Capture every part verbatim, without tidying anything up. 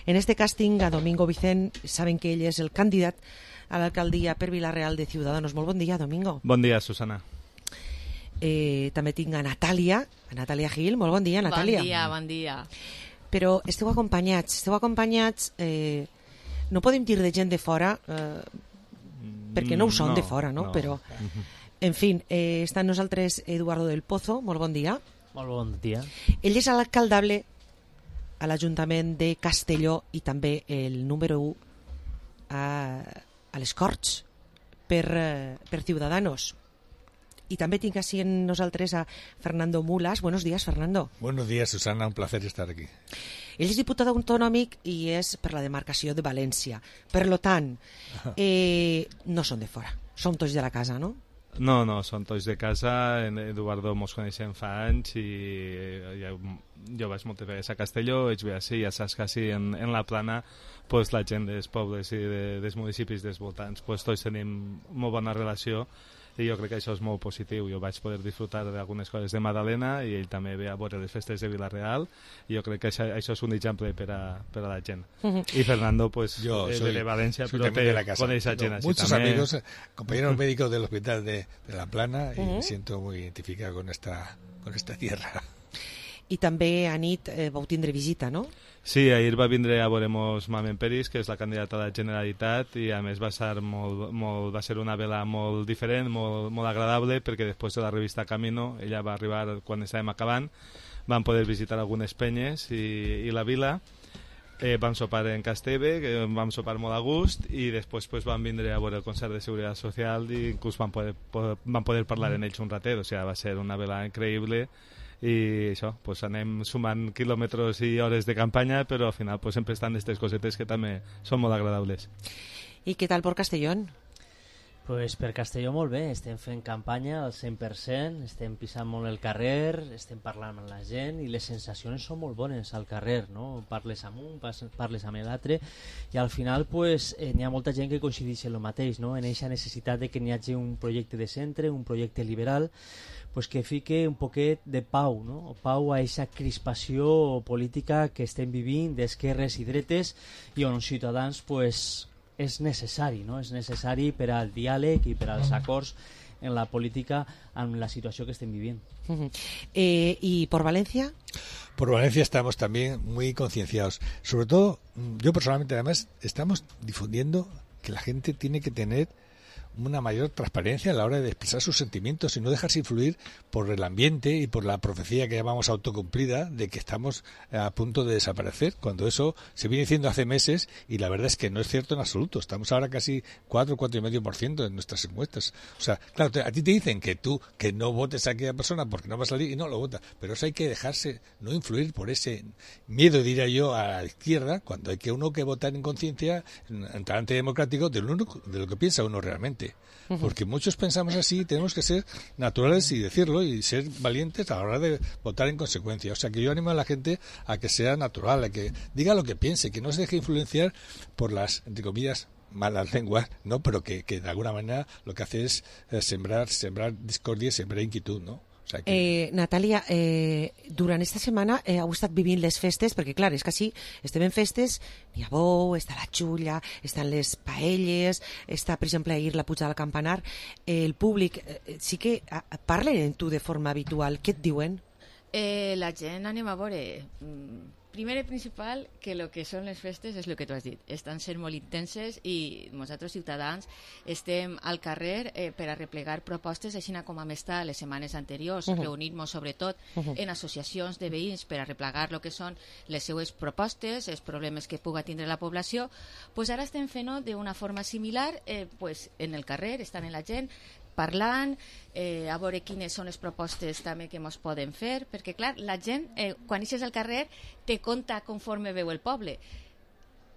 En este casting a Domingo Vicent, saben que ell és el candidat a l'alcaldia per Vila-real de Ciudadanos. Molt bon dia, Domingo. Bon dia, Susana. Eh, també tinc a Natàlia, a Natàlia Gil. Molt bon dia, Natàlia. Bon dia, bon dia. Però esteu acompanyats, esteu acompanyats, eh, no podem dir de gent de fora, eh, perquè no ho són no, de fora, no? no. Però, en fi, eh, està amb nosaltres Eduardo del Pozo. Molt bon dia. Molt bon dia. Ell és l'alcaldable a l'Ajuntament de Castelló i també el número u a, a les Corts per, eh, per Ciudadanos. Y también tinc así en nosaltres a Fernando Mulas. Buenos días, Fernando. Buenos días, Susana. Un placer estar aquí. Ell és diputat autonòmic i és per la demarcació de València. Per lo tant, eh, no són de fora. Són tots de la casa, no? No, no, són tots de casa. En Eduardo mos coneixem fa anys i ja, jo vaig moltes vegades a Castelló, ets bé així, ja saps que així en, en la plana pues, la gent dels pobles i de, dels municipis dels voltants pues, tots tenim molt bona relació i jo crec que això és molt positiu. Jo vaig poder disfrutar d'algunes coses de Madalena i ell també ve a veure les festes de Vila-real i jo crec que això, això és un exemple per a, per a la gent. Uh-huh. I Fernando, pues, yo es soy, de Valencia, soy pero te de la casa. con esa gent no, así muchos también. amigos, compañeros médicos del hospital de, de La Plana y uh-huh. me siento muy identificado con esta, con esta tierra. I també a nit eh, vau tindre visita, no? Sí, ahir va vindre a veure-mos Mamen Peris, que és la candidata a la Generalitat, i a més va ser, molt, molt, va ser una vela molt diferent, molt, molt agradable, perquè després de la revista Camino, ella va arribar quan estàvem acabant, vam poder visitar algunes penyes i, i la vila, eh, vam sopar en Casteve, que vam sopar molt a gust, i després pues, vam vindre a veure el concert de Seguretat Social i inclús vam poder, poder, vam poder parlar en ells un ratet, o sigui, va ser una vela increïble, i això, pues anem sumant quilòmetres i hores de campanya, però al final pues, sempre estan aquestes cosetes que també són molt agradables. I què tal per Castellón? Pues per Castelló molt bé, estem fent campanya al cent per cent, estem pisant molt el carrer, estem parlant amb la gent i les sensacions són molt bones al carrer, no? Parles amb un, parles amb l'altre i al final pues, eh, n'hi ha molta gent que coincideix en el mateix, no? En aquesta necessitat de que n'hi hagi un projecte de centre, un projecte liberal, pues que fique un poquet de pau, no? Pau a aquesta crispació política que estem vivint d'esquerres i dretes i on els ciutadans pues, és necessari, no? És necessari per al diàleg i per als acords en la política en la situació que estem vivint. Uh-huh. eh, ¿Y por Valencia? Por Valencia estamos también muy concienciados. Sobre todo, yo personalmente además, estamos difundiendo que la gente tiene que tener una mayor transparencia a la hora de expresar sus sentimientos y no dejarse influir por el ambiente y por la profecía que llamamos autocumplida de que estamos a punto de desaparecer, cuando eso se viene diciendo hace meses y la verdad es que no es cierto en absoluto. Estamos ahora casi cuatro, cuatro y medio por ciento en nuestras encuestas. O sea, claro, te, a ti te dicen que tú que no votes a aquella persona porque no va a salir y no lo vota, pero eso hay que dejarse no influir por ese miedo, diría yo, a la izquierda, cuando hay que uno que votar en conciencia, en talante democrático, de lo, de lo que piensa uno realmente. Porque muchos pensamos así y tenemos que ser naturales y decirlo y ser valientes a la hora de votar en consecuencia. O sea que yo animo a la gente a que sea natural, a que diga lo que piense, que no se deje influenciar por las, entre comillas, malas lenguas, ¿no? Pero que, que de alguna manera lo que hace es eh, sembrar, sembrar discordia y sembrar inquietud, ¿no? O sea que... eh, Natàlia, eh, durant esta setmana eh, heu estat vivint les festes, perquè clar, és que així estem en festes, n'hi ha bou, està la xulla, estan les paelles, està, per exemple, ahir la puja del campanar, eh, el públic eh, sí que eh, parlen en tu de forma habitual, què et diuen? Eh, la gent, anem a veure... Mm, primer i principal, que el que són les festes és el que tu has dit. Estan sent molt intenses i nosaltres, ciutadans, estem al carrer eh, per a replegar propostes, així com vam estar les setmanes anteriors, uh-huh. reunir-nos sobretot uh-huh. en associacions de veïns per a replegar el que són les seues propostes, els problemes que puga tindre la població. Pues ara estem fent-ho d'una forma similar, eh, pues, en el carrer, estan en la gent, parlant, eh, a veure quines són les propostes també que ens poden fer, perquè clar, la gent, eh, quan eixes al carrer, te conta conforme veu el poble.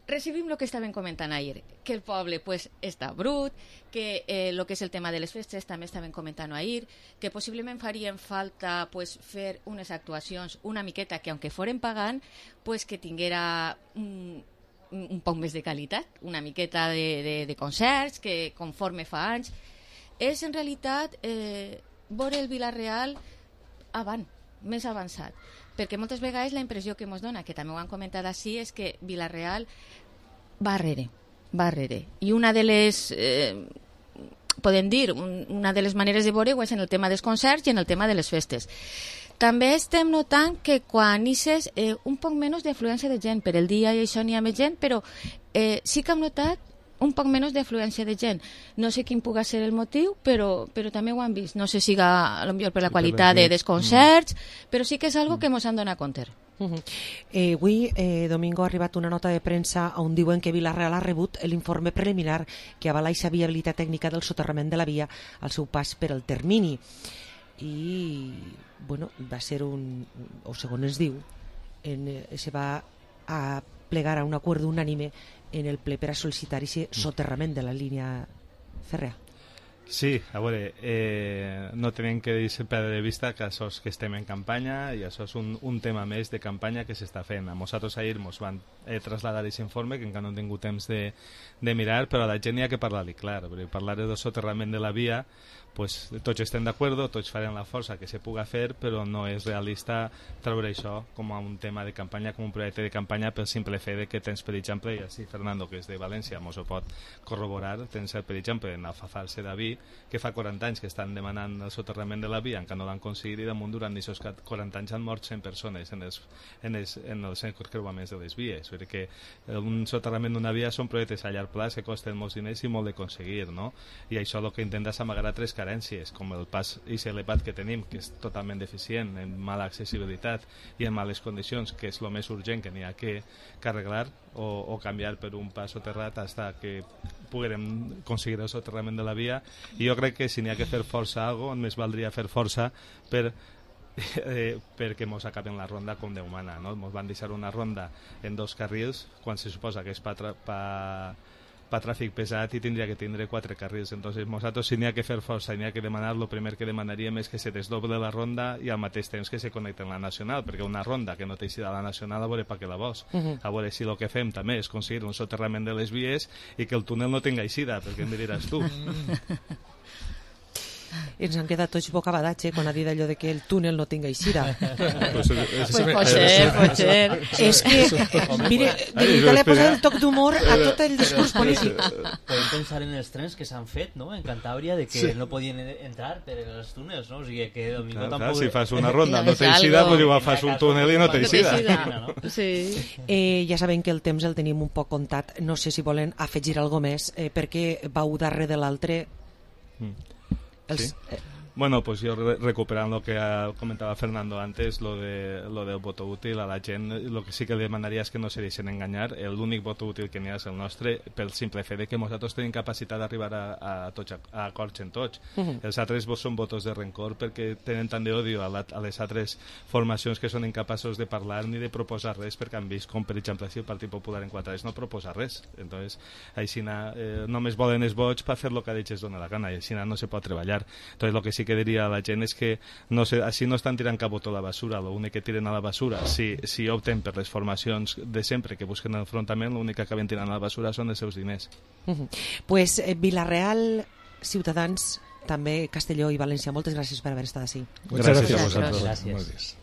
Recibim el que estàvem comentant ahir, que el poble pues, està brut, que el eh, que és el tema de les festes també estàvem comentant ahir, que possiblement farien falta pues, fer unes actuacions una miqueta que, aunque foren pagant, pues, que tinguera un, un poc més de qualitat, una miqueta de, de, de concerts, que conforme fa anys, és en realitat eh, veure el Vila-real avant, més avançat. perquè moltes vegades la impressió que ens dona, que també ho han comentat així, és que Vila-real va arrere, va arrere. I una de les... Eh, podem dir, un, una de les maneres de veure-ho és en el tema dels concerts i en el tema de les festes. També estem notant que quan ixes eh, un poc menys d'afluència de gent. Per el dia i això n'hi ha més gent, però eh, sí que hem notat un poc menys d'afluència de gent. No sé quin pugui ser el motiu, però, però també ho han vist. No sé si a lo millor per la qualitat de, dels concerts, mm. però sí que és algo que ens han donat compte. Uh -huh. eh, avui, eh, Domingo, ha arribat una nota de premsa on diuen que Vila-real ha rebut l'informe preliminar que avala aquesta viabilitat tècnica del soterrament de la via al seu pas per al termini. I, bueno, va ser un... o segons ens diu, en, eh, se va a plegar a un acord unànime en el ple per a sol·licitar aquest soterrament de la línia fèrrea. Sí, a veure, eh, no tenim que dir perdre de vista que això és que estem en campanya i això és un, un tema més de campanya que s'està fent. A nosaltres ahir ens van eh, traslladar aquest informe, que encara no hem tingut temps de, de mirar, però a la gent hi ha que parlar-li clar, perquè parlar del soterrament de la via, pues, tots estem d'acord, tots farem la força que se puga fer, però no és realista treure això com a un tema de campanya, com un projecte de campanya pel simple fet de que tens, per exemple, i així Fernando, que és de València, mos ho pot corroborar, tens, per exemple, en Alfafar Sedaví, que fa quaranta anys que estan demanant el soterrament de la via, encara no l'han aconseguit, i damunt durant aquests quaranta anys han mort cent persones en els, en els, en els encreuaments de les vies. Vull dir que un soterrament d'una via són projectes a llarg plaç que costen molts diners i molt de aconseguir, no? I això el que intenta és amagar tres carències, com el pas i elevat que tenim, que és totalment deficient, en mala accessibilitat i en males condicions, que és el més urgent que n'hi ha que, que arreglar o, o canviar per un pas soterrat fins que puguem aconseguir el soterrament de la via. I jo crec que si n'hi ha que fer força a algo, més valdria fer força per Eh, perquè mos acaben la ronda com Déu mana, no? Mos van deixar una ronda en dos carrils quan se suposa que és pa, tra pa, pa tràfic pesat i tindria que tindre quatre carrils. Entonces nosaltres, si n'hi ha que fer força i n'hi ha que demanar, el primer que demanaríem és que se desdoble la ronda i al mateix temps que se connecti amb la nacional, perquè una ronda que no té eixida a la nacional, a veure pa què la vols. Uh -huh. A veure si el que fem també és aconseguir un soterrament de les vies i que el túnel no tenga eixida, perquè em diràs tu. Ens han quedat tots bocabadats, eh, quan ha dit allò de que el túnel no tinga eixida. Pues pot ser, pot ser. És que, mire, de veritat li ha posat el toc d'humor a tot el discurs polític. Podem pensar en els trens que s'han fet, no?, en Cantàbria, de que no podien entrar per els túnels, no? O sigui, que Domingo tampoc... Si fas una ronda no té eixida, pues igual fas un túnel i no té eixida. Sí. Eh, ja sabem que el temps el tenim un poc comptat. No sé si volen afegir alguna més, eh, perquè vau darrere de l'altre... Mm. Sí. Bueno, pues yo re recuperando lo que comentaba Fernando antes, lo de lo del voto útil a la gent, lo que sí que li demanaria és que no se deixen enganyar. L'únic voto útil que n'hi ha és el nostre, pel simple fet de que nosaltres tenim capacitat d'arribar a, a, tots, a acords en tots. Uh -huh. Els altres són votos de rencor perquè tenen tant d'odio a, la, a les altres formacions que són incapaços de parlar ni de proposar res, perquè han vist com, per exemple, si el Partit Popular en quatre anys no proposa res. Entonces, així eh, només volen els vots per fer el que ells dona la gana i així no se pot treballar. Entonces, lo que sí que diria a la gent és que no sé, així no estan tirant cap botó a la basura, l'únic que tiren a la basura, si, si opten per les formacions de sempre que busquen l'enfrontament, l'únic que acaben tirant a la basura són els seus diners. Uh -huh. Pues eh, Vila-real, Ciutadans, també Castelló i València, moltes gràcies per haver estat així. Muchas gracias. Gracias. Gracias.